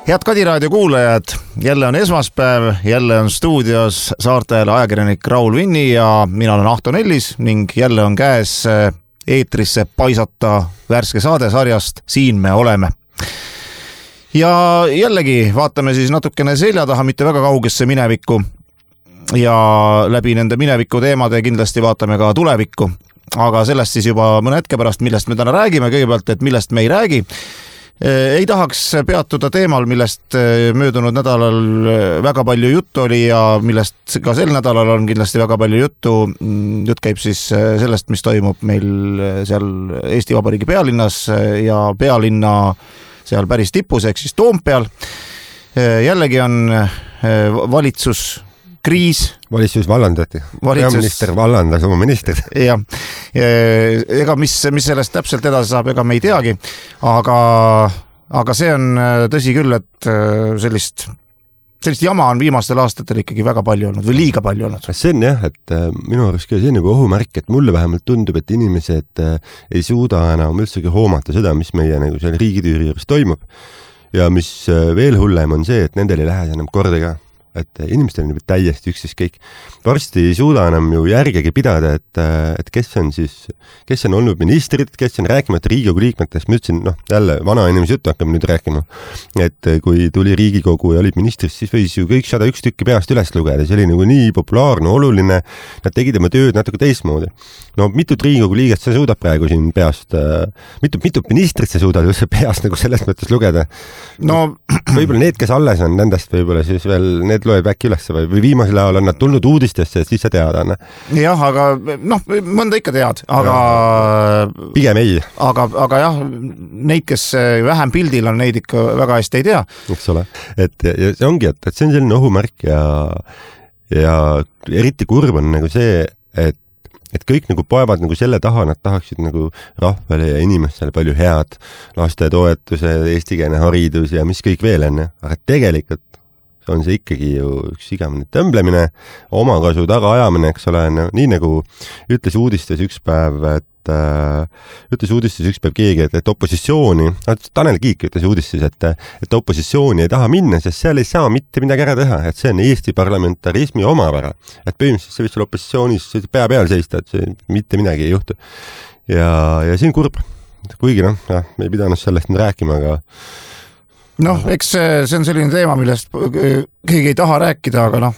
Head Kadiraadio kuulajad, jälle on esmaspäev, jälle on stuudios saartajale ajakirjanik Raul Vinni ja mina olen Ahto Nellis ning jälle on käes eetrisse paisata värske saade sarjast Siin me oleme. Ja jällegi vaatame siis natukene selja taha, mitte väga kaugesse minevikku ja läbi nende mineviku teemade kindlasti vaatame ka tulevikku. Aga sellest siis juba mõne hetke pärast, millest me täna räägime, kõigepealt, et millest me ei räägi. Ei tahaks peatuda teemal, millest möödunud nädalal väga palju juttu oli ja millest ka sel nädalal on kindlasti väga palju juttu. Jutt käib siis sellest, mis toimub meil seal Eesti Vabariigi pealinnas ja pealinna seal päris tipus, ehk siis Toompeal. Jällegi on valitsuskriis. Valitsus vallandati. Peaminister vallandas oma ministrid. Ja, ega mis sellest täpselt edasi saab, ega me ei teagi. Aga see on tõsi küll, et sellist jama on viimastel aastatel ikkagi väga palju olnud või liiga palju olnud. See on jah, et minu arust see on nagu ohumärk, et mulle vähemalt tundub, et inimesed ei suuda enam üldsegi hoomata seda, mis meie nagu seal riigitüüri juures toimub. Ja mis veel hullem on see, et nendel ei lähe enam korda ka. Et inimestel on täiesti üksis kõik. Varsti ei suuda enam ju järgegi pidada, et kes on olnud ministrid, kes on rääkimata Riigikogu liikmetest. Ma ütlesin, jälle vana inimese juttu hakkame nüüd rääkima. Et kui tuli Riigikogu ja olid ministrid, siis võis ju kõik 101 tükki peast üles lugeda. See oli nagu nii populaarne, oluline. Nad tegid oma tööd natuke teistmoodi. Mitut Riigikogu liiget sa suudad praegu siin peast, mitut ministrit sa suudad just peast nagu selles mõttes lugeda. Võib-olla need, kes alles on, nendest võib-olla siis veel need loeb äkki üles või viimasel ajal on nad tulnud uudistesse, et siis sa tead, Anna. Jah, aga mõnda ikka tead, aga pigem ei. Aga jah, neid, kes vähem pildil on, neid ikka väga hästi ei tea. Eks ole. Ja see ongi, et see on selline ohumärk ja eriti kurb on nagu see, et kõik nagu poevad nagu selle taha, nad tahaksid nagu rahvale ja inimestele palju head, lastetoetuse, eestikeelne haridus ja mis kõik veel on. Aga tegelikult on see ikkagi ju üks igavene tõmblemine, omakasu tagaajamine, eks ole, nii nagu ütles uudistes üks päev keegi, et opositsiooni, Tanel Kiik ütles uudistes, et opositsiooni ei taha minna, sest seal ei saa mitte midagi ära teha, et see on Eesti parlamentarismi omapära, et põhimõtteliselt see võiks olla opositsioonis pea peal seista, et see mitte midagi ei juhtu. Ja see on kurb, kuigi me ei pidanud sellest rääkima, aga eks see on selline teema, millest keegi ei taha rääkida, aga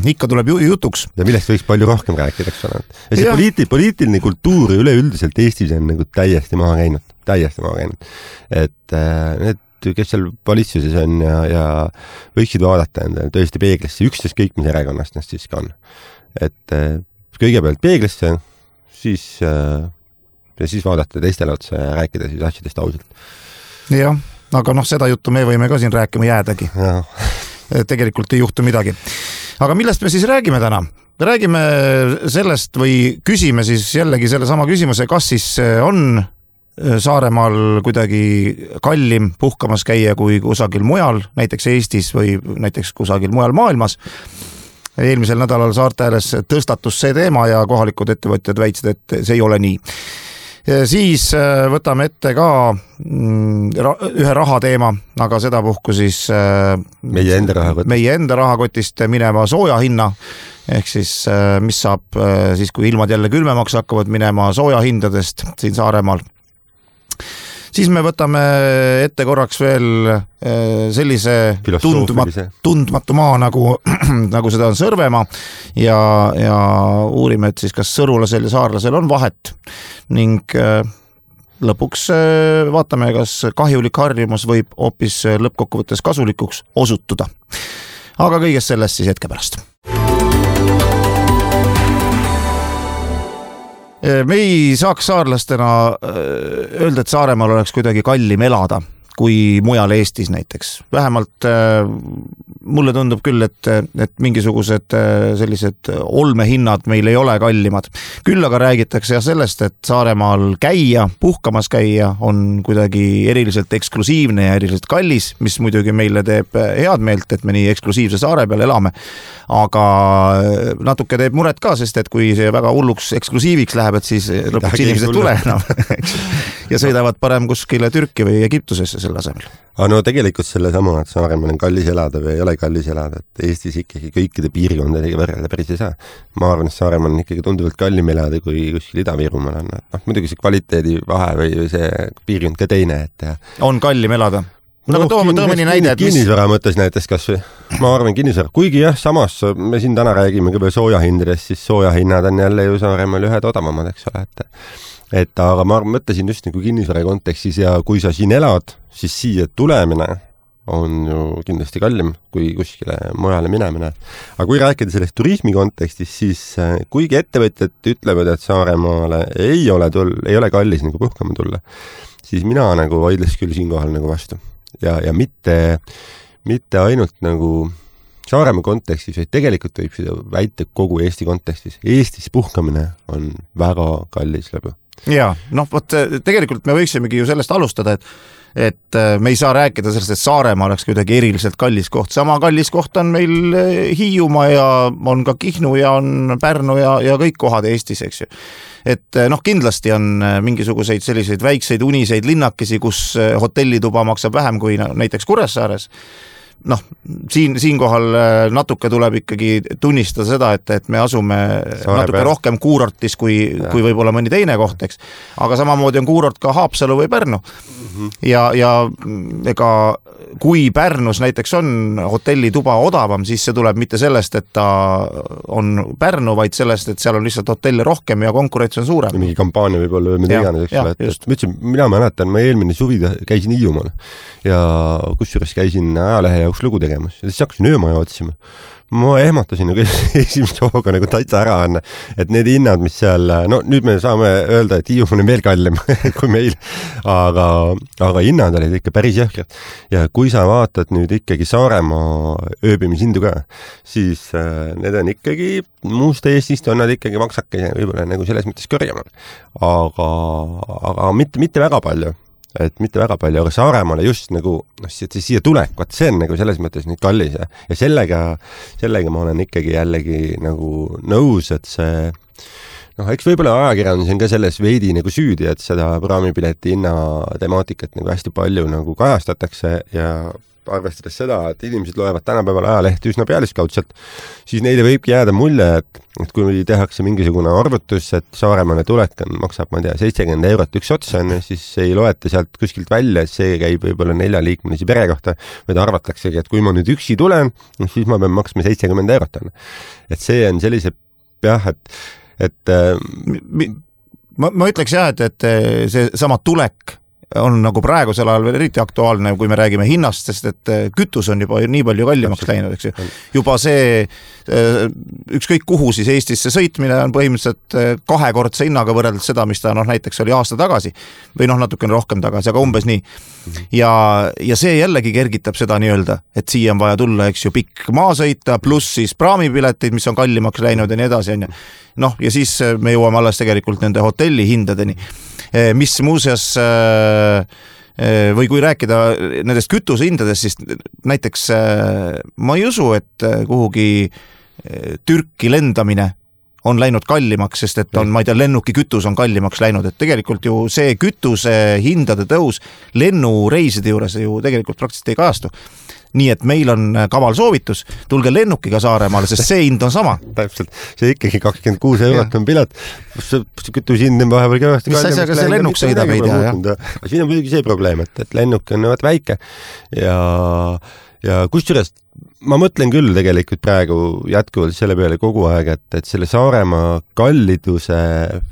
ikka tuleb jutuks. Ja millest võiks palju rohkem rääkida, eks ole. Ja see poliitiline kultuur üleüldiselt Eestis on nagu täiesti maha käinud. Et need, kes seal valitsuses on ja võiksid vaadata endale tõesti peeglisse, üksteist kõik, mis erakonnast neist siis ka on. Et kõigepealt peeglisse, siis vaadata teistele otsa ja rääkida siis asjadest ausalt. Jah. Aga seda juttu me võime ka siin rääkima jäädagi. Tegelikult ei juhtu midagi. Aga millest me siis räägime täna? Räägime sellest või küsime siis jällegi selle sama küsimuse, kas siis on Saaremaal kuidagi kallim puhkamas käia kui kusagil mujal, näiteks Eestis või näiteks kusagil mujal maailmas. Eelmisel nädalal Saarteles tõstatus see teema ja kohalikud ettevõtjad väitsid, et see ei ole nii. Siis võtame ette ka ühe rahateema, aga seda puhku siis meie enda rahakotist minema sooja hinna, ehk siis mis saab siis, kui ilmad jälle külmemaks hakkavad minema sooja hindadest siin Saaremaal. Siis me võtame ette korraks veel sellise tundmatu maa, nagu seda on Sõrvemaa ja uurime, et siis kas sõrulasel ja saarlasel on vahet ning lõpuks vaatame, kas kahjulik harjumus võib hoopis lõppkokkuvõttes kasulikuks osutuda. Aga kõigest sellest siis hetke pärast. Me ei saaks saarlastena öelda, et Saaremaal oleks kuidagi kallim elada kui mujal Eestis näiteks. Vähemalt mulle tundub küll, et mingisugused sellised olmehinnad meil ei ole kallimad. Küll aga räägitakse sellest, et Saaremaal käia, puhkamas käia on kuidagi eriliselt eksklusiivne ja eriliselt kallis, mis muidugi meile teeb head meelt, et me nii eksklusiivse saare peal elame. Aga natuke teeb muret ka, sest et kui see väga hulluks eksklusiiviks läheb, et siis lõpuks inimesed tule enam ja sõidavad parem kuskile Türki või Egiptusesse selle asemel. Aga no tegelikult selle sama, et Saaremaal on kallis elada või ei ole kallis elada, et Eestis ikkagi kõikide piirkondadega võrrelda päris ei saa. Ma arvan, et Saaremaal on ikkagi tunduvalt kallim elada, kui kuskil Ida-Virumaal on. Muidugi see kvaliteedi vahe või see piirkond ka teine, et on kallim elada. No, toome nii näide, et kinnisvara mõttes näiteks kas või, ma arvan kinnisvara, kuigi jah, samas me siin täna räägime ka veel soojahindadest, siis soojahinnad on jälle ju Saaremaal ühed odavamad, eks ole, et aga ma mõtlesin just nagu kinnisvara kontekstis ja kui sa siin elad, siis siia tulemine on ju kindlasti kallim kui kuskile mujale minemine. Aga kui rääkida sellest turismi kontekstis, siis kuigi ettevõtjad ütlevad, et Saaremaale ei ole kallis nagu puhkama tulla, siis mina nagu vaidles küll siinkohal nagu vastu. Ja mitte ainult nagu Saaremaa kontekstis, vaid tegelikult võib seda väita kogu Eesti kontekstis. Eestis puhkamine on väga kallis lõbu. Jaa, tegelikult me võiksimegi ju sellest alustada, et me ei saa rääkida sellest, et Saaremaa oleks kuidagi eriliselt kallis koht. Sama kallis koht on meil Hiiumaa ja on ka Kihnu ja on Pärnu ja kõik kohad Eestis, eks ju. Et kindlasti on mingisuguseid selliseid väikseid uniseid linnakesi, kus hotellituba maksab vähem kui näiteks Kuressaares. Siinkohal natuke tuleb ikkagi tunnistada seda, et me asume natuke rohkem kuurortis kui võib-olla mõni teine koht, eks. Aga samamoodi on kuurort ka Haapsalu või Pärnu. Ja ega kui Pärnus näiteks on hotellituba odavam, siis see tuleb mitte sellest, et ta on Pärnu, vaid sellest, et seal on lihtsalt hotelle rohkem ja konkurents on suurem. Mingi kampaania võib olla või mida iganes, eks ole. Mina mäletan, ma eelmine suvi käisin Hiiumaal ja kusjuures käisin ajalehe jaoks lugu tegemas ja siis hakkasin öömaja otsima. Ma ehmatasin nagu esimest hooga nagu täitsa ära on, et need hinnad, mis seal, nüüd me saame öelda, et Hiiumaal on veel kallim kui meil, aga hinnad olid ikka päris jõhkrad. Ja kui sa vaatad nüüd ikkagi Saaremaa ööbimishindu ka, siis need on ikkagi, muust Eestist on nad ikkagi maksake võib-olla nagu selles mõttes kõrgemal. Aga mitte väga palju. Mitte väga palju, aga Saaremaale just nagu siia tulek, see on nagu selles mõttes nüüd kallis ja sellega ma olen ikkagi jällegi nagu nõus, et see eks võib-olla ajakirjandus on ka selles veidi nagu süüdi, et seda praamipileti hinna temaatikat nagu hästi palju nagu kajastatakse ja arvestades seda, et inimesed loevad tänapäeval ajalehti üsna pealiskaudselt, siis neile võibki jääda mulje, et kui tehakse mingisugune arvutus, et Saaremaale tulek maksab, ma ei tea, 70 € üks ots on, siis ei loeta sealt kuskilt välja, et see käib võib-olla 4-liikmelise pere kohta, vaid arvataksegi, et kui ma nüüd üksi tulen, siis ma pean maksma 70 €. Et see on sellise ma ütleks jah, et see sama tulek on nagu praegusel ajal veel eriti aktuaalne, kui me räägime hinnast, sest et kütus on juba nii palju kallimaks läinud, eks ju. Juba see ükskõik kuhu siis Eestisse sõitmine on põhimõtteliselt 2-kordse hinnaga võrreldes seda, mis ta näiteks oli aasta tagasi või natukene rohkem tagasi, aga umbes nii. Ja see jällegi kergitab seda nii-öelda, et siia on vaja tulla, eks ju, pikk maa sõita, pluss siis praamipiletid, mis on kallimaks läinud ja nii edasi, on ju. Ja siis me jõuame alles tegelikult nende hotelli hindadeni, mis muuseas või kui rääkida nendest kütusehindadest, siis näiteks ma ei usu, et kuhugi Türki lendamine on läinud kallimaks, sest et on, ma ei tea, lennukikütus on kallimaks läinud, et tegelikult ju see kütuse hindade tõus lennureiside juures ju tegelikult praktiliselt ei kajastu. Nii et meil on kaval soovitus, tulge lennukiga Saaremaale, sest see hind on sama. Täpselt, see ikkagi 26 € on pilet, kütuse hind on vahepeal kõvasti. Mis asjaga see lennuk sõidab ei tea, jah? Siin on muidugi see probleem, et lennuk on väike ja kusjuures ma mõtlen küll tegelikult praegu jätkuvalt selle peale kogu aeg, et selle Saaremaa kalliduse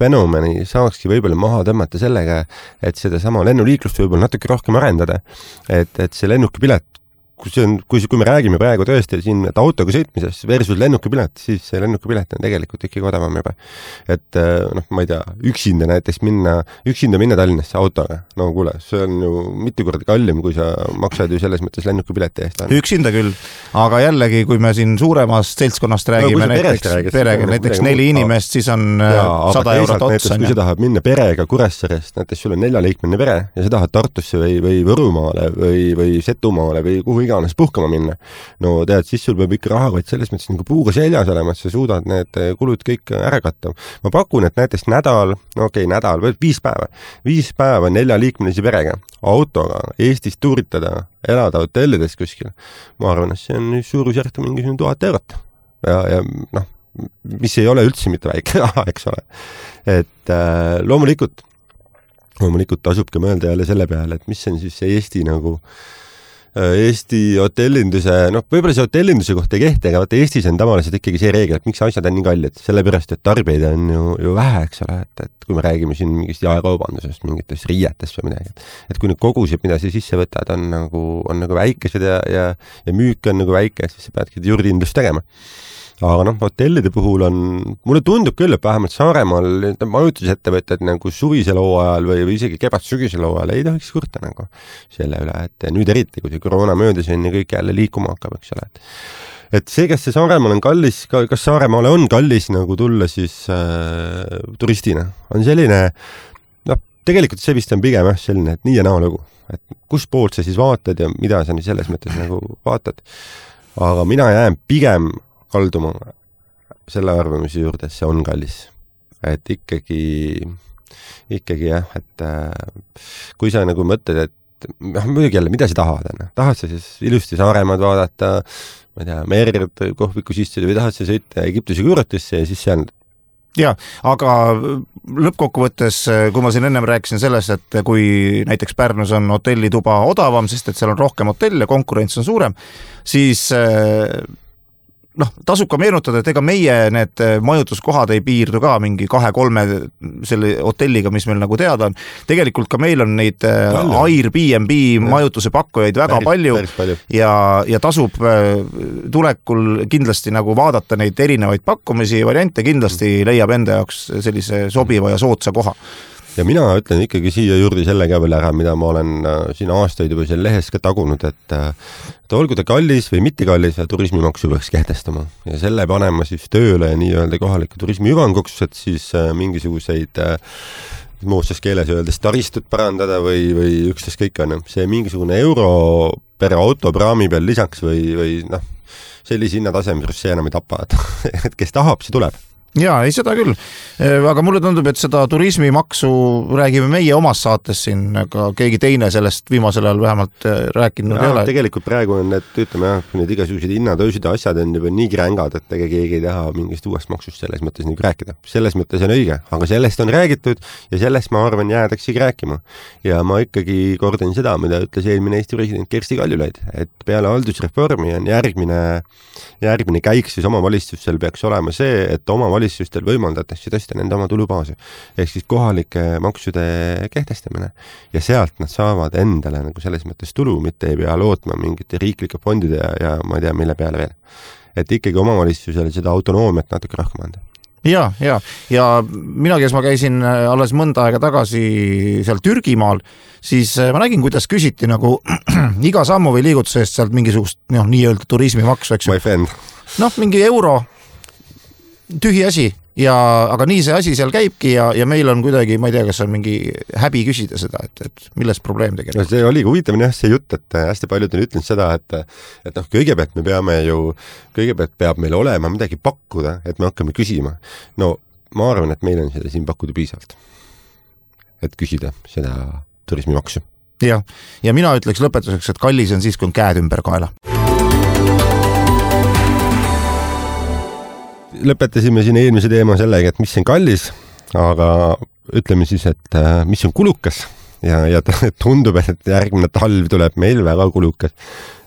fenomeni saakski võib-olla maha tõmmata sellega, et seda sama lennuliiklust võib-olla natuke rohkem arendada, et see lennukipilet, kui me räägime praegu tõesti siin autoga sõitmisest versus lennukipilet, siis see lennukipilet on tegelikult ikkagi odavam juba. Et ma ei tea, üksinda minna Tallinnasse autoga, kuule, see on ju mitu korda kallim, kui sa maksad ju selles mõttes lennukipileti eest. Üksinda küll, aga jällegi, kui me siin suuremast seltskonnast räägime, näiteks 4 inimest, siis on 100 € ots. Kui sa tahad minna perega Kuressaarest, näiteks sul on 4-liikmeline pere ja sa tahad Tartusse või Võrumaale või Setumaale või kuhu iganes puhkama minna. No tead, siis sul peab ikka rahakott selles mõttes nagu puuga seljas olema, et sa suudad need kulud kõik ära katta. Ma pakun, et näiteks nädal või 5 päeva. 5 päeva 4-liikmelise perega autoga Eestis tuuritada, elada hotellides kuskil. Ma arvan, et see on suurusjärk mingi 1000 eurot. Ja noh, mis ei ole üldse mitte väike raha, eks ole. Et loomulikult tasubki mõelda jälle selle peale, et mis on siis see Eesti nagu Eesti hotellinduse, võib-olla see hotellinduse kohta ei kehti, aga vaata Eestis on tavaliselt ikkagi see reegel, et miks asjad on nii kallid, sellepärast, et tarbijaid on ju vähe, eks ole, et kui me räägime siin mingist jaekaubandusest, mingitest riietest või midagi, et kui need kogused, mida sa sisse võtad, on nagu väikesed ja müük on nagu väike, siis sa peadki juurdindust tegema. Aga hotellide puhul mulle tundub küll, et vähemalt Saaremaal majutusettevõtted nagu suvisel hooajal või isegi kevad-sügisel hooajal ei tohiks kurta nagu selle üle, et nüüd eriti, kui see koroona möödas on ja kõik jälle liikuma hakkab, eks ole. Et see, kas see Saaremaal on kallis, kas Saaremaale on kallis nagu tulla siis turistina, on selline, tegelikult see vist on pigem selline, et nii ja naa lugu, et kus poolt sa siis vaatad ja mida sa selles mõttes nagu vaatad. Aga mina jään pigem kalduma selle arvamise juurde, et see on kallis. Et ikkagi jah, et kui sa nagu mõtled, et muidugi jälle, mida sa tahad? Tahad sa siis ilusti Saaremaad vaadata, ma ei tea, merd kohvikus istuda või tahad sa sõita Egiptuse kuuratisse ja siis seal ja, aga lõppkokkuvõttes, kui ma siin ennem rääkisin sellest, et kui näiteks Pärnus on hotellituba odavam, sest et seal on rohkem hotelle, konkurents on suurem, siis tasub ka meenutada, et ega meie need majutuskohad ei piirdu ka mingi 2-3 selle hotelliga, mis meil nagu teada on. Tegelikult ka meil on neid Airbnb majutuse pakkujaid väga palju ja tasub tulekul kindlasti nagu vaadata neid erinevaid pakkumisi, variante kindlasti leiab enda jaoks sellise sobiva ja soodsa koha. Ja mina ütlen ikkagi siia juurde selle ka veel ära, mida ma olen siin aastaid juba seal lehes ka tagunud, et olgu ta kallis või mitte kallis, turismimaksu peaks kehtestama. Ja selle panema siis tööle ja nii-öelda kohaliku turismi hüvanguks, et siis mingisuguseid moodsas keeles öeldes taristut parandada või ükstas kõik on. See mingisugune euro per auto praami peal lisaks või sellise hinnatasem, see enam ei tapa, et kes tahab, see tuleb. Jaa, ei seda küll, aga mulle tundub, et seda turismimaksu räägime meie omas saates siin, aga keegi teine sellest viimasel ajal vähemalt rääkinud ei ole. Tegelikult praegu on need igasugused hinnatõusid ja asjad on juba nii krängad, et keegi ei taha mingist uuest maksust selles mõttes nagu rääkida. Selles mõttes on õige, aga sellest on räägitud ja sellest ma arvan jäädaksegi rääkima. Ja ma ikkagi kordan seda, mida ütles eelmine Eesti president Kersti Kaljulaid, et peale haldusreformi on järgmine käik siis omavalitsustel peaks olema see, et omavalitsustel võimaldatakse tõsta nende oma tulubaasi. Ehk siis kohalike maksude kehtestamine. Ja sealt nad saavad endale nagu selles mõttes tulu, mitte ei pea lootma mingite riiklike fondide ja ma ei tea, mille peale veel. Et ikkagi omavalitsusel seda autonoomiat natuke rohkem anda. Ja mina, kes ma käisin alles mõnda aega tagasi seal Türgimaal, siis ma nägin, kuidas küsiti nagu iga sammu või liigutuse eest sealt mingisugust nii-öelda turismimaksu, eks. My friend. Mingi euro, tühi asi, aga nii see asi seal käibki ja meil on kuidagi, ma ei tea, kas on mingi häbi küsida seda, et milles probleem tegelikult. See oli huvitav see jutt, et hästi paljud on ütlenud seda, et kõigepealt kõigepealt peab meil olema midagi pakkuda, et me hakkame küsima. No ma arvan, et meil on seda siin pakkuda piisavalt, et küsida seda turismimaksu. Ja mina ütleks lõpetuseks, et kallis on siis, kui on käed ümber kaela. Lõpetasime siin eelmise teema sellega, et mis on kallis, aga ütleme siis, et mis on kulukas ja tundub, et järgmine talv tuleb meil väga kulukas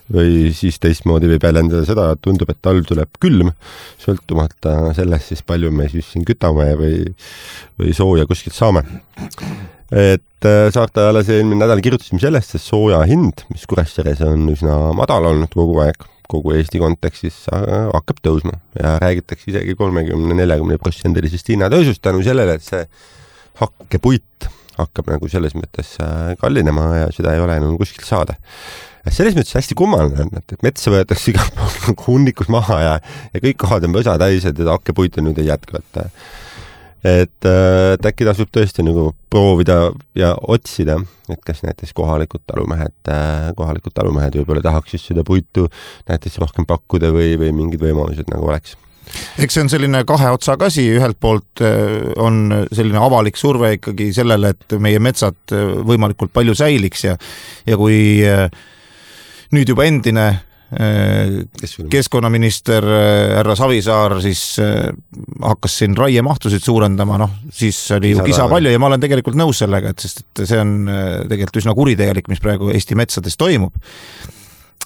või siis teistmoodi võib väljendada seda, et tundub, et talv tuleb külm, sõltumata sellest siis palju me siis siin kütame või sooja kuskilt saame. Et Saarte ajalas eelmine nädal kirjutasime sellest, et sooja hind, mis Kuressaares on üsna madal olnud kogu aeg, kogu Eesti kontekstis hakkab tõusma ja räägitakse isegi 30-40% hinnatõusust tänu sellele, et see hakkepuit hakkab nagu selles mõttes kallinema ja seda ei ole enam kuskilt saada. Selles mõttes hästi kummaline, et metsa võetakse iga hunnikus maha ja kõik kohad on võsa täis, et hakkepuit on nüüd ei jätku. et äkki tasub tõesti nagu proovida ja otsida, et kas näiteks kohalikud talumehed võib-olla tahaks just seda puitu näiteks rohkem pakkuda või mingid võimalused nagu oleks. Eks see on selline kahe otsaga asi, ühelt poolt on selline avalik surve ikkagi sellele, et meie metsad võimalikult palju säiliks ja kui nüüd juba endine keskkonnaminister härra Savisaar siis hakkas siin raiemahtusid suurendama, siis oli ju kisa palju ja ma olen tegelikult nõus sellega, sest et see on tegelikult üsna kuritegelik, mis praegu Eesti metsades toimub.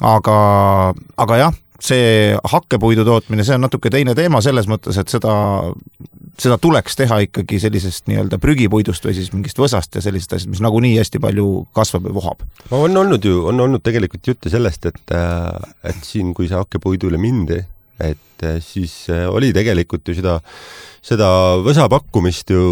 Aga jah, see hakkepuidu tootmine, see on natuke teine teema selles mõttes, et seda tuleks teha ikkagi sellisest nii-öelda prügipuidust või siis mingist võsast ja sellisest asjast, mis nagunii hästi palju kasvab ja vohab. On olnud tegelikult jutte sellest, et siin, kui see hakkepuidule mindi, et siis oli tegelikult ju seda võsa pakkumist ju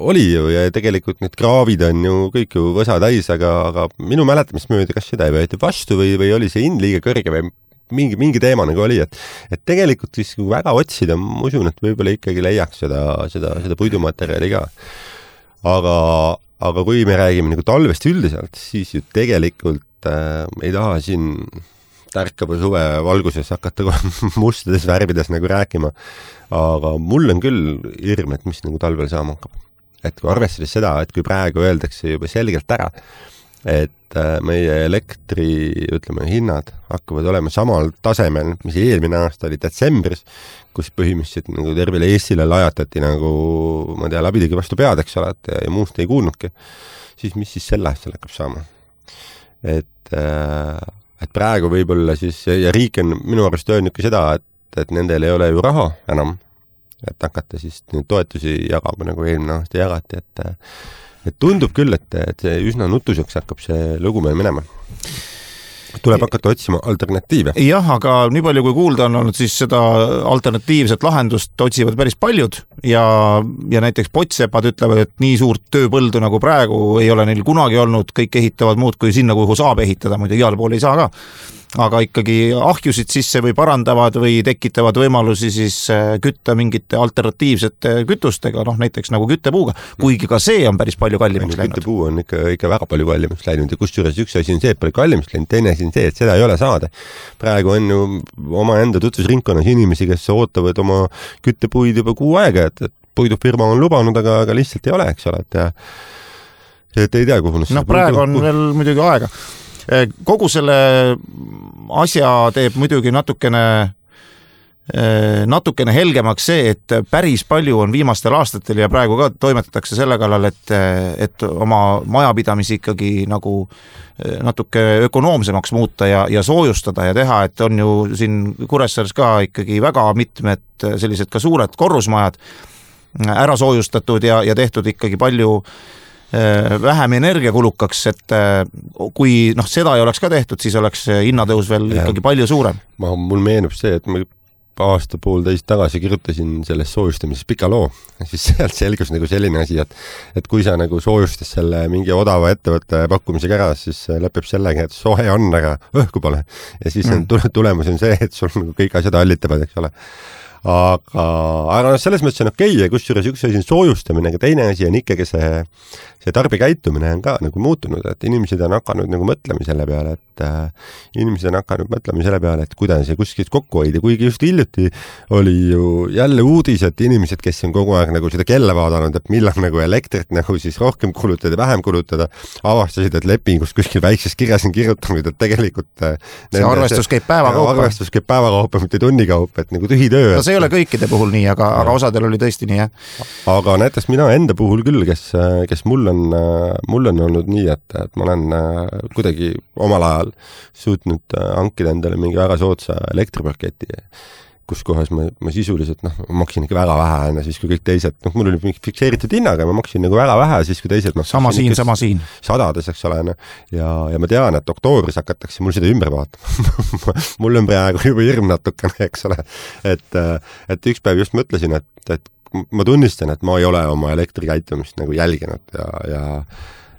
oli ju ja tegelikult need kraavid on ju kõik ju võsa täis, aga minu mäletamist mööda, kas seda ei võeti vastu või oli see hind liiga kõrge või mingi teema nagu oli, et tegelikult siis kui väga otsida, ma usun, et võib-olla ikkagi leiaks seda puidumaterjali ka. Aga kui me räägime nagu talvest üldiselt, siis ju tegelikult ei taha siin tärkava suve valguses hakata mustades värvides nagu rääkima, aga mul on küll hirm, et mis nagu talvel saama hakkab. Et kui arvestades seda, et kui praegu öeldakse juba selgelt ära, et meie elektri, hinnad hakkavad olema samal tasemel, mis eelmine aasta oli detsembris, kus põhimõtteliselt nagu tervele Eestile lajatati nagu, ma tea, labidagi vastu pead, eks ole, ja muust ei kuulnudki, siis mis siis selle aastal hakkab saama? Et praegu võib-olla siis, ja riik on minu arust öelnud ka seda, et nendel ei ole ju raha enam, et hakata siis toetusi jagama, nagu eelmine aasta jagati, et tundub küll, et see üsna nutuseks hakkab see lugu meil minema. Tuleb hakata otsima alternatiive. Jah, aga nii palju kui kuulda on olnud, siis seda alternatiivset lahendust otsivad päris paljud ja näiteks pottsepad ütlevad, et nii suurt tööpõldu nagu praegu ei ole neil kunagi olnud, kõik ehitavad muud kui sinna, kuhu saab ehitada, muidu igal pool ei saa ka. Aga ikkagi ahjusid sisse või parandavad või tekitavad võimalusi siis kütta mingite alternatiivsete kütustega, näiteks nagu küttepuuga, kuigi ka see on päris palju kallimaks läinud. Küttepuu on ikka väga palju kallimaks läinud ja kusjuures üks asi on see, et palju kallimaks läinud, teine asi on see, et seda ei ole saada. Praegu on ju oma enda tutvusringkonnas inimesi, kes ootavad oma küttepuid juba kuu aega, et puidufirma on lubanud, aga lihtsalt ei ole, eks ole, et ei tea, kuhu praegu on veel muidugi aega. Kogu selle asja teeb muidugi natukene helgemaks see, et päris palju on viimastel aastatel ja praegu ka toimetatakse selle kallal, et oma majapidamisi ikkagi nagu natuke ökonoomsemaks muuta ja soojustada ja teha, et on ju siin Kuressaares ka ikkagi väga mitmed sellised ka suured korrusmajad ära soojustatud ja tehtud ikkagi palju vähem energiakulukaks, et kui seda ei oleks ka tehtud, siis oleks hinnatõus veel ikkagi palju suurem. Mul meenub see, et ma aasta poolteist tagasi kirjutasin selles soojustamises pika loo, siis sealt selgus nagu selline asi, et kui sa nagu soojustas selle mingi odava ettevõtte pakkumisega ära, siis lõpeb sellega, et sohe on, aga õhku pole. Ja siis tulemus on see, et sul nagu kõik asjad hallitavad, eks ole. Aga selles mõttes on okei, ja kusjuures üks asi on soojustamine, aga teine asi on ikkagi see tarbikäitumine on ka nagu muutunud, et inimesed on hakanud nagu mõtlema selle peale, et kuidas ja kuskilt kokku hoida, kuigi just hiljuti oli ju jälle uudis, et inimesed, kes on kogu aeg nagu seda kella vaadanud, et millal nagu elektrit nagu siis rohkem kulutada, vähem kulutada, avastasid, et lepingus kuskil väikses kirjas on kirjutanud, et tegelikult see arvestus käib päevakaupa, mitte tunnikaupa, et nagu tühi töö. See ei ole kõikide puhul nii, aga osadel oli tõesti nii, jah. Aga näiteks mina enda puhul küll, kes mul on olnud nii, et ma olen kuidagi omal ajal suutnud hankida endale mingi väga soodsa elektripaketi, kus kohas ma sisuliselt, maksin ikka väga vähe, siis kui kõik teised, mul oli mingi fikseeritud hinnaga, ma maksin nagu väga vähe, siis kui teised sama siin. Sadades, eks ole, ja ma tean, et oktoobris hakatakse mul seda ümber vaatama. Mul on praegu juba hirm natukene, eks ole, et üks päev just mõtlesin, et ma tunnistan, et ma ei ole oma elektrikäitumist nagu jälginud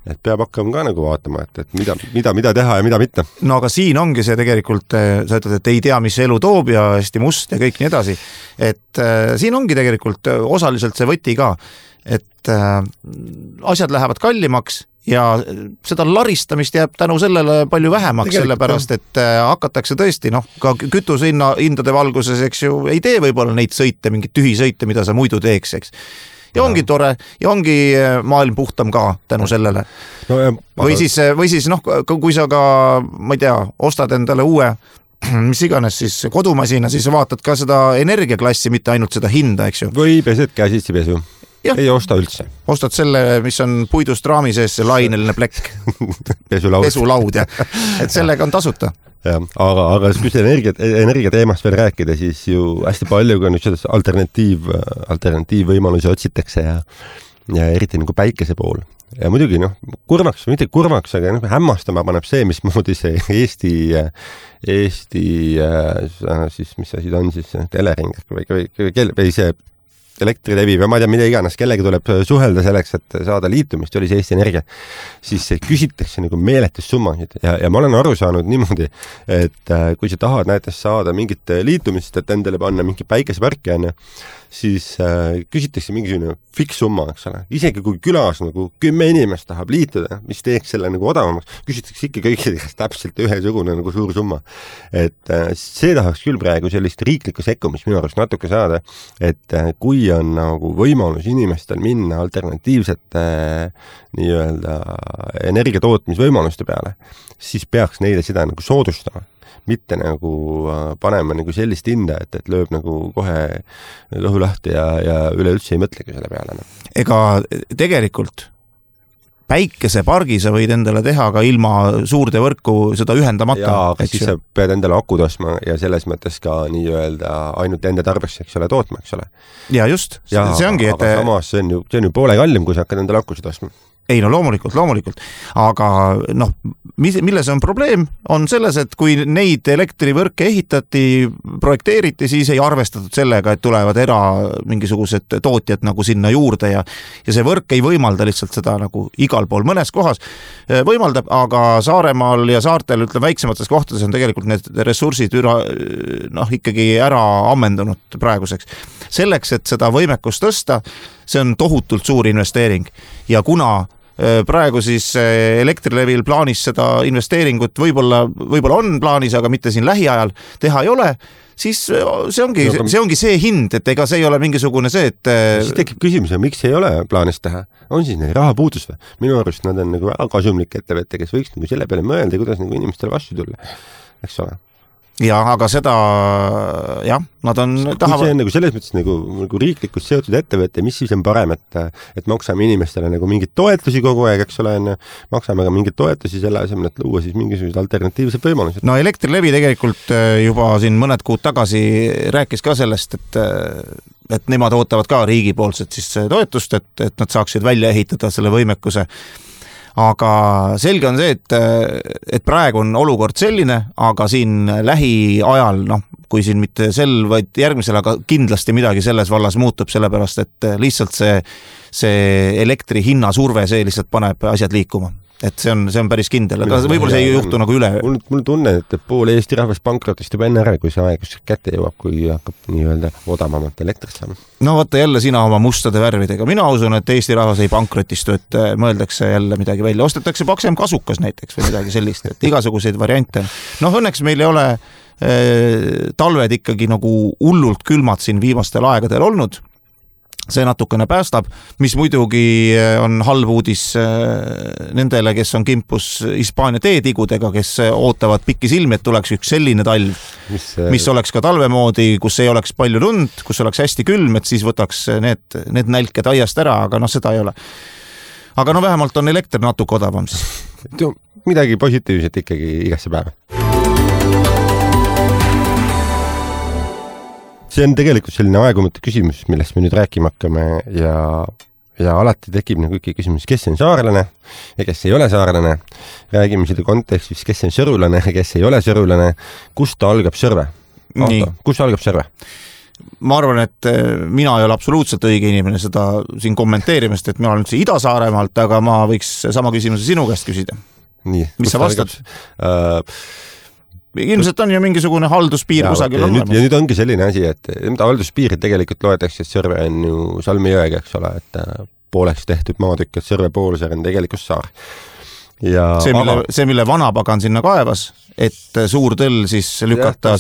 et peab hakkama ka nagu vaatama, et mida teha ja mida mitte. No aga siin ongi see tegelikult, sa ütled, et ei tea, mis elu toob ja hästi must ja kõik nii edasi, et siin ongi tegelikult osaliselt see võti ka, et asjad lähevad kallimaks ja seda laristamist jääb tänu sellele palju vähemaks, sellepärast, et hakatakse tõesti, ka kütusehindade valguses, eks ju, ei tee võib-olla neid sõite, mingid tühisõite, mida sa muidu teeks, eks. Ja ongi tore ja ongi maailm puhtam ka tänu sellele. Või siis kui sa ka, ma ei tea, ostad endale uue, mis iganes siis kodumasina, siis vaatad ka seda energiaklassi, mitte ainult seda hinda, eks ju. Või pesed käsitsi pesu. Ei osta üldse. Ostad selle, mis on puidust raami sees, see laineline plekk. Pesulaud ja. Et sellega on tasuta. Ja, aga kui see energia teemast veel rääkida, siis ju hästi palju ka nüüd alternatiivvõimalusi otsitakse ja eriti nagu päikese pool. Ja muidugi, kurvaks, mitte kurvaks, aga hämmastama paneb see, mismoodi see Eesti siis, mis asi ta on siis, Elering või see Elektrilevi või ma ei tea, mida iganes, kellegi tuleb suhelda selleks, et saada liitumist, oli see Eesti Energia, siis küsitakse nagu meeletus summasid ja ma olen aru saanud niimoodi, et kui sa tahad näiteks saada mingit liitumist, et endale panna mingi päikeseparki, siis küsitakse mingisugune fikssumma, eks ole. Isegi kui külas nagu 10 inimest tahab liituda, mis teeks selle nagu odavamaks, küsitakse ikka kõikidest täpselt ühesugune nagu suur summa. Et see tahaks küll praegu sellist riiklikku sekkumist minu arust natuke saada, et kui on nagu võimalus inimestel minna alternatiivsete nii-öelda energiatootmisvõimaluste peale, siis peaks neile seda nagu soodustama. Mitte nagu panema nagu sellist hinda, et lööb nagu kohe kõhu lahti ja üleüldse ei mõtlegi selle peale. Ega tegelikult päikesepargi sa võid endale teha ka ilma suurde võrku seda ühendamata. Jaa, aga siis sa pead endale aku tosma ja selles mõttes ka nii-öelda ainult ende tarbeks, eks ole, tootma, eks ole. Ja just, see ongi. Aga samas see on ju poole kallim, kui sa hakkad endale akusid tosma. Ei, loomulikult. Aga milles on probleem, on selles, et kui neid elektrivõrke ehitati, projekteeriti, siis ei arvestatud sellega, et tulevad mingisugused tootjad nagu sinna juurde ja see võrk ei võimalda lihtsalt seda nagu igal pool mõnes kohas võimaldab, aga Saaremaal ja saartel, väiksemates kohtades on tegelikult need ressursid ikkagi ära ammendunud praeguseks. Selleks, et seda võimekust tõsta, see on tohutult suur investeering ja kuna praegu siis Elektrilevil plaanis seda investeeringut võib-olla on plaanis, aga mitte siin lähiajal teha ei ole, siis see ongi see hind, et ega see ei ole mingisugune see, et siis tekib küsimus, miks ei ole plaanis teha? On siis neil raha puudus või? Minu arust nad on nagu väga kasumlik ettevõte, kes võiks nagu selle peale mõelda, kuidas nagu inimestele vastu tulla, eks ole. Ja, aga seda, nad on tahavad... Kui see on nagu selles mõttes nagu riiklikult seotud ettevõte, mis siis on parem, et maksame inimestele nagu mingid toetusi kogu aeg, eks ole, maksame ka mingid toetusi selle asemel, et luua siis mingisugused alternatiivsed võimalused. No Elektrilevi tegelikult juba siin mõned kuud tagasi rääkis ka sellest, et nemad ootavad ka riigipoolset siis toetust, et nad saaksid välja ehitada selle võimekuse. Aga selge on see, et praegu on olukord selline, aga siin lähiajal, kui siin mitte vaid järgmisel, aga kindlasti midagi selles vallas muutub, sellepärast, et lihtsalt see elektri hinna surve, see lihtsalt paneb asjad liikuma. Et see on päris kindel, aga võib-olla see ei juhtu nagu üle. Mul tunne, et pool Eesti rahvast pankrotist juba enne ära, kui see aeg kätte jõuab, kui hakkab nii-öelda odavamat elektrit saama. No vaata jälle sina oma mustade värvidega. Mina usun, et Eesti rahvas ei pankrotistu, et mõeldakse jälle midagi välja. Ostetakse paksem kasukas näiteks või midagi sellist, et igasuguseid variante. Õnneks meil ei ole talved ikkagi nagu hullult külmad siin viimastel aegadel olnud. See natukene päästab, mis muidugi on halb uudis nendele, kes on kimpus Hispaania teetigudega, kes ootavad pikki silmi, et tuleks üks selline talv, mis oleks ka talvemoodi, kus ei oleks palju lund, kus oleks hästi külm, et siis võtaks need nälked aiast ära, aga seda ei ole. Aga vähemalt on elekter natuke odavam siis. Midagi positiivset ikkagi igasse päeva. See on tegelikult selline aegumatu küsimus, millest me nüüd rääkima hakkame ja alati tekib nagu ikka küsimus, kes on saarlane ja kes ei ole saarlane. Räägime seda kontekstis, kes on sõrulane ja kes ei ole sõrulane. Kust algab sõrve? Kust algab sõrve? ma arvan, et mina ei ole absoluutselt õige inimene seda siin kommenteerimast, et mina olen üldse Ida-Saaremaalt, aga ma võiks sama küsimuse sinu käest küsida. Nii, mis sa vastad? Ilmselt on ju mingisugune halduspiir kusagil olemas. Ja nüüd ongi selline asi, et halduspiirid tegelikult loetakse, et Sõrve on ju Salmi jõega, eks ole, et pooleks tehtud maatükk, et Sõrve poolsaar on tegelikult saar. Ja see, mille Vanapagan sinna kaevas, et suur tõll siis lükata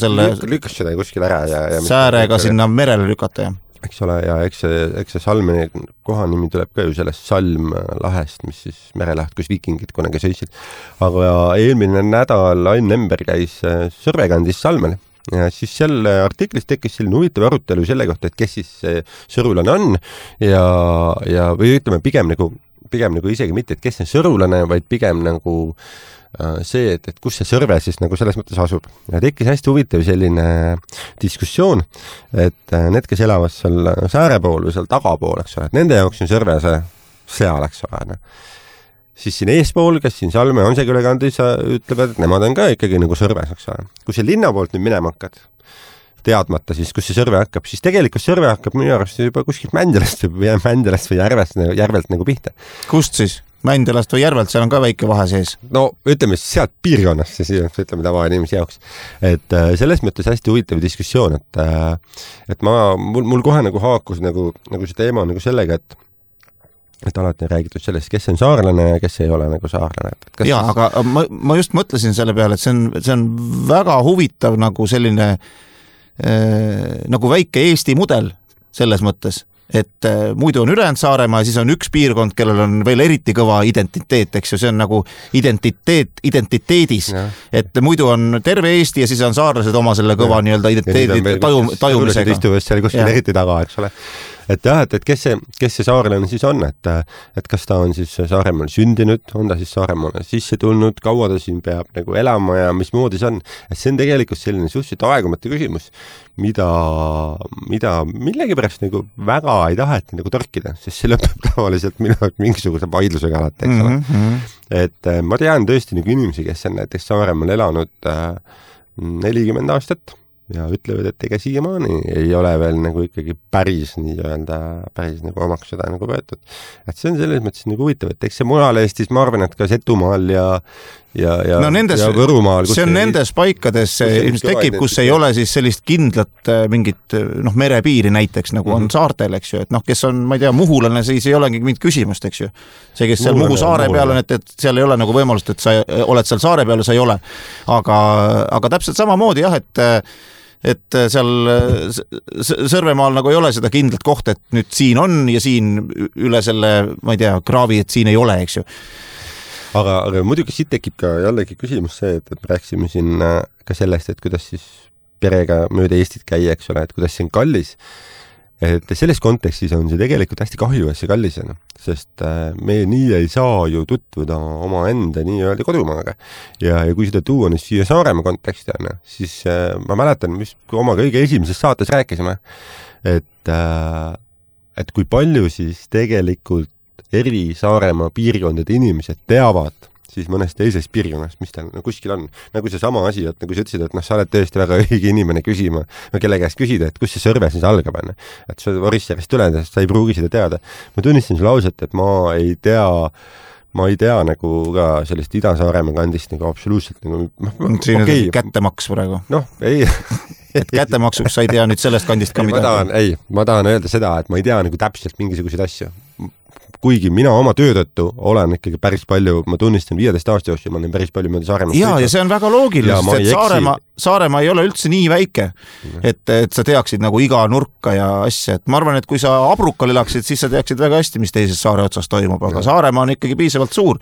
lükkas seda kuskil ära ja säärega sinna merele lükata, jah. Eks ole, ja eks see Salmi kohanimi tuleb ka ju sellest Salm lahest, mis siis merelaht, kus vikingid kunagi sõitsid. Aga eelmine nädal Ain Lember käis Sõrvekandis Salmel ja siis seal artiklis tekkis selline huvitav arutelu selle kohta, et kes siis sõrulane on ja või ütleme pigem nagu isegi mitte, et kes on sõrulane, vaid pigem nagu see, et kus see Sõrve siis nagu selles mõttes asub. Ja tekkis hästi huvitav selline diskussioon, et need, kes elavad seal sääre pool või seal tagapool, eks ole, et nende jaoks on Sõrve seal, eks ole. Siis siin eespool, kes siin Salme on see külekandis, ütlevad, et nemad on ka ikkagi nagu Sõrves, eks ole. Kui see linna poolt nüüd minema hakkad, teadmata siis, kus see Sõrve hakkab, siis tegelikult Sõrve hakkab minu arust juba kuskilt Mändjalast või järvelt nagu pihta. Kust siis? Mändjalast või järvelt, seal on ka väike vahe sees. No ütleme sealt piirkonnast, siis ütleme tavainimese jaoks. Et selles mõttes hästi huvitav diskussioon, et mul kohe nagu haakus nagu see teema nagu sellega, et alati on räägitud sellest, kes on saarlane ja kes ei ole nagu saarlane. Jaa, aga ma just mõtlesin selle peale, et see on väga huvitav nagu selline nagu väike Eesti mudel selles mõttes, et muidu on ülejäänud Saaremaa ja siis on üks piirkond, kellel on veel eriti kõva identiteet, eks ju, see on nagu identiteedis, et muidu on terve Eesti ja siis on saarlased oma selle kõva nii-öelda identiteedi tajumisega. Istuvad seal kuskil eriti taga, eks ole. Et jah, et kes see saarlane siis on, et kas ta on siis Saaremaal sündinud, on ta siis Saaremaale sisse tulnud, kaua ta siin peab nagu elama ja mismoodi see on. Et see on tegelikult selline suhteliselt aegumatu küsimus, mida millegipärast nagu väga ei taheta nagu torkida, sest see lõpeb tavaliselt mingisuguse vaidlusega alati, eks ole. Et ma tean tõesti nagu inimesi, kes on näiteks Saaremaal elanud 40 aastat, ja ütlevad, et ega siiamaani ei ole veel nagu ikkagi päris nagu omaks seda nagu võetud. Et see on selles mõttes nagu huvitav, et eks see mujal Eestis, ma arvan, et ka Setumaal ja Võrumaal. See on nendes paikades ilmselt tekib, kus ei ole siis sellist kindlat mingit merepiiri näiteks, nagu on saartel, eks ju, et kes on, ma ei tea, muhulane, siis ei olegi mingit küsimust, eks ju. See, kes seal Muhu saare peal on, et seal ei ole nagu võimalust, et sa oled seal saare peal ja sa ei ole. Aga täpselt samamoodi jah, et seal Sõrvemaal nagu ei ole seda kindlat kohta, et nüüd siin on ja siin üle selle, ma ei tea, kraavi, et siin ei ole, eks ju. Aga muidugi siit tekib ka jällegi küsimus see, et me rääksime siin ka sellest, et kuidas siis perega mööda Eestit käia, eks ole, et kuidas see on kallis. Et selles kontekstis on see tegelikult hästi kahju, et see kallis on, sest me nii ei saa ju tutvuda oma enda nii-öelda kodumaaga. Ja kui seda tuua nüüd siia Saaremaa konteksti on, siis ma mäletan, mis oma kõige esimeses saates rääkisime, et kui palju siis tegelikult eri Saaremaa piirkondade inimesed teavad siis mõnest teisest piirkonnast, mis tal kuskil on. Nagu see sama asi, et nagu sa ütlesid, et sa oled tõesti väga õige inimene küsima, kelle käest küsida, et kus see Sõrve siis algab. Et sa Orissarist tuled, sa ei pruugi seda teada. Ma tunnistan sulle ausalt, et ma ei tea nagu ka sellest Ida-Saaremaa kandist nagu absoluutselt nagu... Siin on kättemaks praegu. Ei. Et kättemaksuks sa ei tea nüüd sellest kandist ka midagi. Ma tahan öelda seda, et ma ei tea nagu täpselt mingisuguseid asju. Kuigi mina oma töö tõttu olen ikkagi päris palju, ma tunnistan 15 aasta jooksul, ma olen päris palju mööda Saaremaast. Ja see on väga loogiline, et Saaremaa ei ole üldse nii väike, et sa teaksid nagu iga nurka ja asja. Et ma arvan, et kui sa Abrukal elaksid, siis sa teaksid väga hästi, mis teises saare otsas toimub, aga Saaremaa on ikkagi piisavalt suur.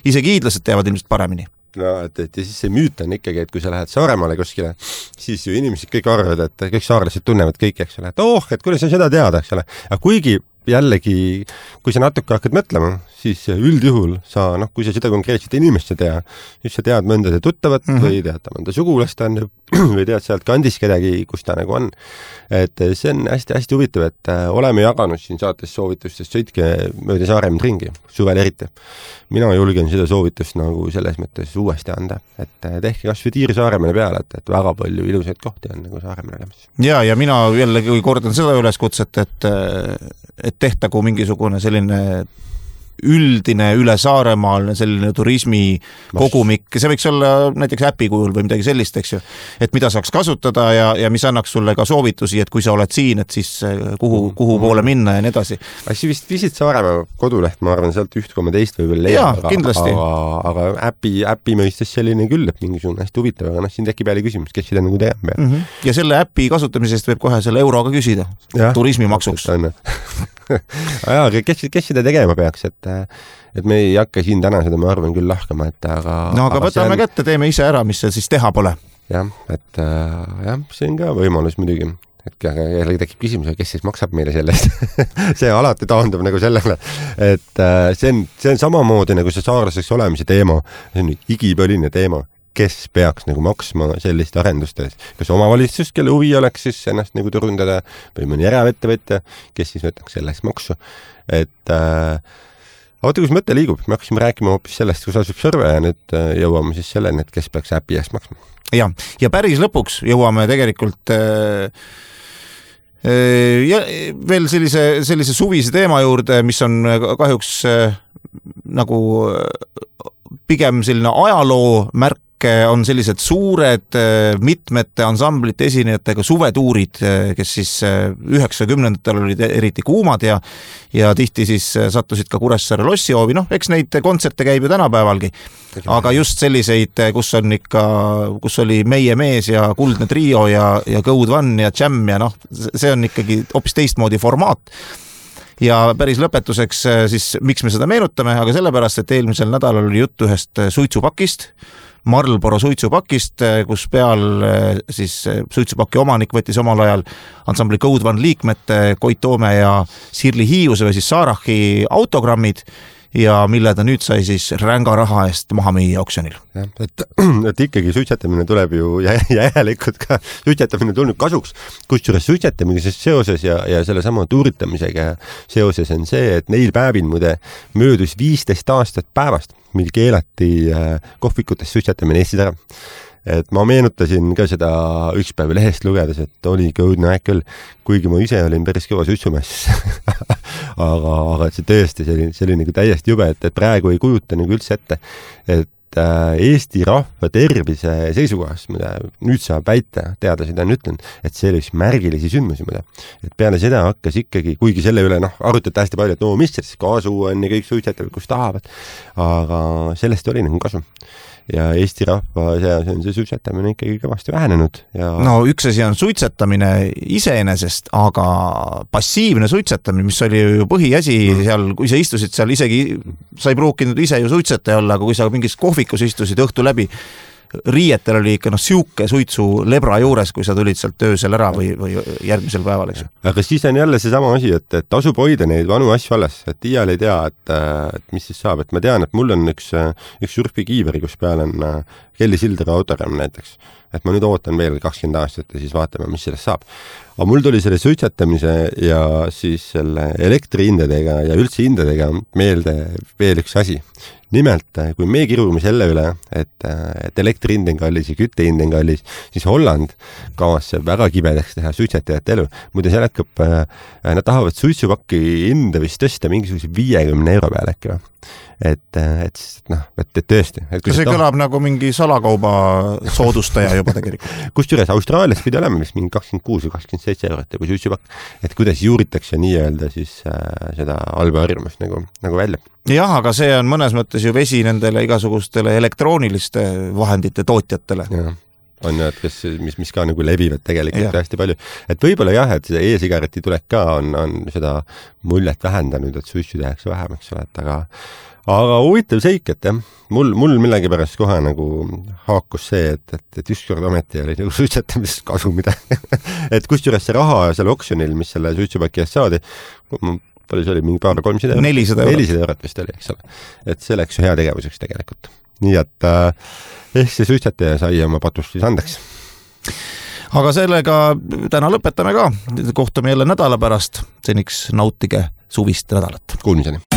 Isegi hiidlased teavad ilmselt paremini. No, et ja siis see müüt on ikkagi, et kui sa lähed Saaremaale kuskile, siis ju inimesed kõik arvavad, et kõik saarlased tunnevad kõik, eks ole, et et kuidas sa seda teada, eks ole. Aga kuigi jällegi, kui sa natuke hakkad mõtlema, siis üldjuhul sa, kui sa seda konkreetset inimest ei tea, siis sa tead mõnda tuttavat või tead mõnda sugulast on või tead sealt kandis kedagi, kus ta nagu on. Et see on hästi-hästi huvitav, et oleme jaganud siin saates soovitustest, sõitke mööda Saaremäed ringi, suvel eriti. Mina julgen seda soovitust nagu selles mõttes uuesti anda, et tehke kas või tiir Saaremäele peale, et väga palju ilusaid kohti on nagu Saaremäele olemas. Ja mina jällegi kordan seda üleskutset, et tehtagu mingisugune selline üldine üle Saaremaal selline turismi kogumik, see võiks olla näiteks äpi kujul või midagi sellist, eks ju, et mida saaks kasutada ja mis annaks sulle ka soovitusi, et kui sa oled siin, et siis kuhu poole minna ja nii edasi. Asi vist Visit Saaremaa koduleht, ma arvan, sealt 1,2 võib leiab, aga äpi mõistes selline küll, et mingisugune hästi huvitav, aga siin tekib jälle küsimus, kes seda nagu teab. Ja selle äpi kasutamisest võib kohe selle euroga küsida turismimaksuks. Kes seda tegema peaks, et me ei hakka siin täna seda, ma arvan küll lahkama, aga võtame kätte, teeme ise ära, mis see siis teha pole. See on ka võimalus muidugi, et jällegi tekib küsimus, kes siis maksab meile sellest. See alati taandub nagu sellele, et see on samamoodi nagu see saarlaseks olemise teema, see on igipõline teema, kes peaks nagu maksma sellist arendustes, kas omavalitsus, kelle huvi oleks siis ennast nagu turundada või mõni eravettevõtja, kes siis võtaks selleks maksu, et vaata, kus mõte liigub, me hakkasime rääkima hoopis sellest, kus asub Sõrve ja nüüd jõuame siis selleni, et kes peaks äpi eest maksma. Ja päris lõpuks jõuame tegelikult veel sellise suvise teema juurde, mis on kahjuks nagu pigem selline ajaloo märk, on sellised suured mitmete ansamblite esinejatega suvetuurid, kes siis 90-ndatel olid eriti kuumad ja tihti siis sattusid ka Kuressaare lossihoovi. Eks neid kontserte käib ju tänapäevalgi, aga just selliseid, kus oli Meie mees ja Kuldne trio ja Code One ja Jam ja see on ikkagi hoopis teistmoodi formaat. Ja päris lõpetuseks siis, miks me seda meenutame, aga sellepärast, et eelmisel nädalal oli jutt ühest suitsupakist, Marlboro suitsupakist, kus peal siis suitsupaki omanik võttis omal ajal ansambli Code One liikmete Koit Toome ja Sirli Hiiuse või siis Saarachi autogrammid ja mille ta nüüd sai siis ränga raha eest maha müüa auksjonil. Et ikkagi suitsetamine tuleb ju järelikult ka suitsetamine tulnud kasuks, kusjuures suitsetamisega seoses ja selle sama tuuritamisega seoses on see, et neil päevil muide möödus 15 aastat päevast, mil keelati kohvikutes suitsetamine Eestis ära. Et ma meenutasin ka seda üks päev lehest lugedes, et oli kõudne aeg küll, kuigi ma ise olin päris kõva suitsumees. aga see tõesti, see oli nagu täiesti jube, et praegu ei kujuta nagu üldse ette, et Eesti rahva tervise seisukohast, mida nüüd saab väita, teadlased on ütlenud, et see oli üks märgilisi sündmusi, et peale seda hakkas ikkagi, kuigi selle üle arutati hästi palju, et mis siis kasu on ja kõik suitsetavad, kus tahavad, aga sellest oli nagu kasu. Ja Eesti rahva seas on see suitsetamine ikkagi kõvasti vähenenud. Üks asi on suitsetamine iseenesest, aga passiivne suitsetamine, mis oli ju põhiasi seal, kui sa istusid seal isegi, sa ei pruukinud ise ju suitsetaja olla, aga kui sa mingis kohvikus istusid õhtu läbi, riietel oli ikka siuke suitsu lebra juures, kui sa tulid sealt öösel ära või järgmisel päeval, eks. Aga siis on jälle see sama asi, et tasub hoida neid vanu asju alles, et iial ei tea, et mis siis saab, et ma tean, et mul on üks surfikiiveri, kus peal on Kelly Silderi autogramm näiteks, et ma nüüd ootan veel 20 aastat ja siis vaatame, mis sellest saab. Aga mul tuli selle suitsetamise ja siis selle elektrihindadega ja üldse hindadega meelde veel üks asi. Nimelt, kui me kirume selle üle, et elektrihind on kallis ja küttehind on kallis, siis Holland kavatseb väga kibedaks teha suitsetajate elu. Muide, seal hakkab, nad tahavad suitsupakki hinda vist tõsta mingisuguse 50 euro peale äkki või. Et tõesti. See kõlab nagu mingi salakauba soodustaja juba tegelikult. Kusjuures Austraalias pidi olema vist mingi 26 või 27 eurot kui suitsupakk, et kuidas juuritakse nii-öelda siis seda halba harjumust nagu välja. Jah, aga see on mõnes mõttes ju vesi nendele igasugustele elektrooniliste vahendite tootjatele. Ja. On ju, et mis ka nagu levivad tegelikult hästi palju. Et võib-olla jah, et see e-sigareti tulek ka on seda muljet vähendanud, et suitsu tehakse vähem, eks ole, aga huvitav seik, et jah, mul millegipärast kohe nagu haakus see, et ükskord ometi oli nagu suitsetamisest kasu midagi. Et kusjuures see raha selle oksjonil, mis selle suitsupaki eest saadi, palju see oli, mingi paar 300 eurot? 400 eurot vist oli, eks ole. Et see läks ju hea tegevuseks tegelikult. Nii et see suitsataja sai oma patust siis andeks. Aga sellega täna lõpetame ka. Kohtume jälle nädala pärast. Seniks nautige suvist nädalat. Kuulmiseni.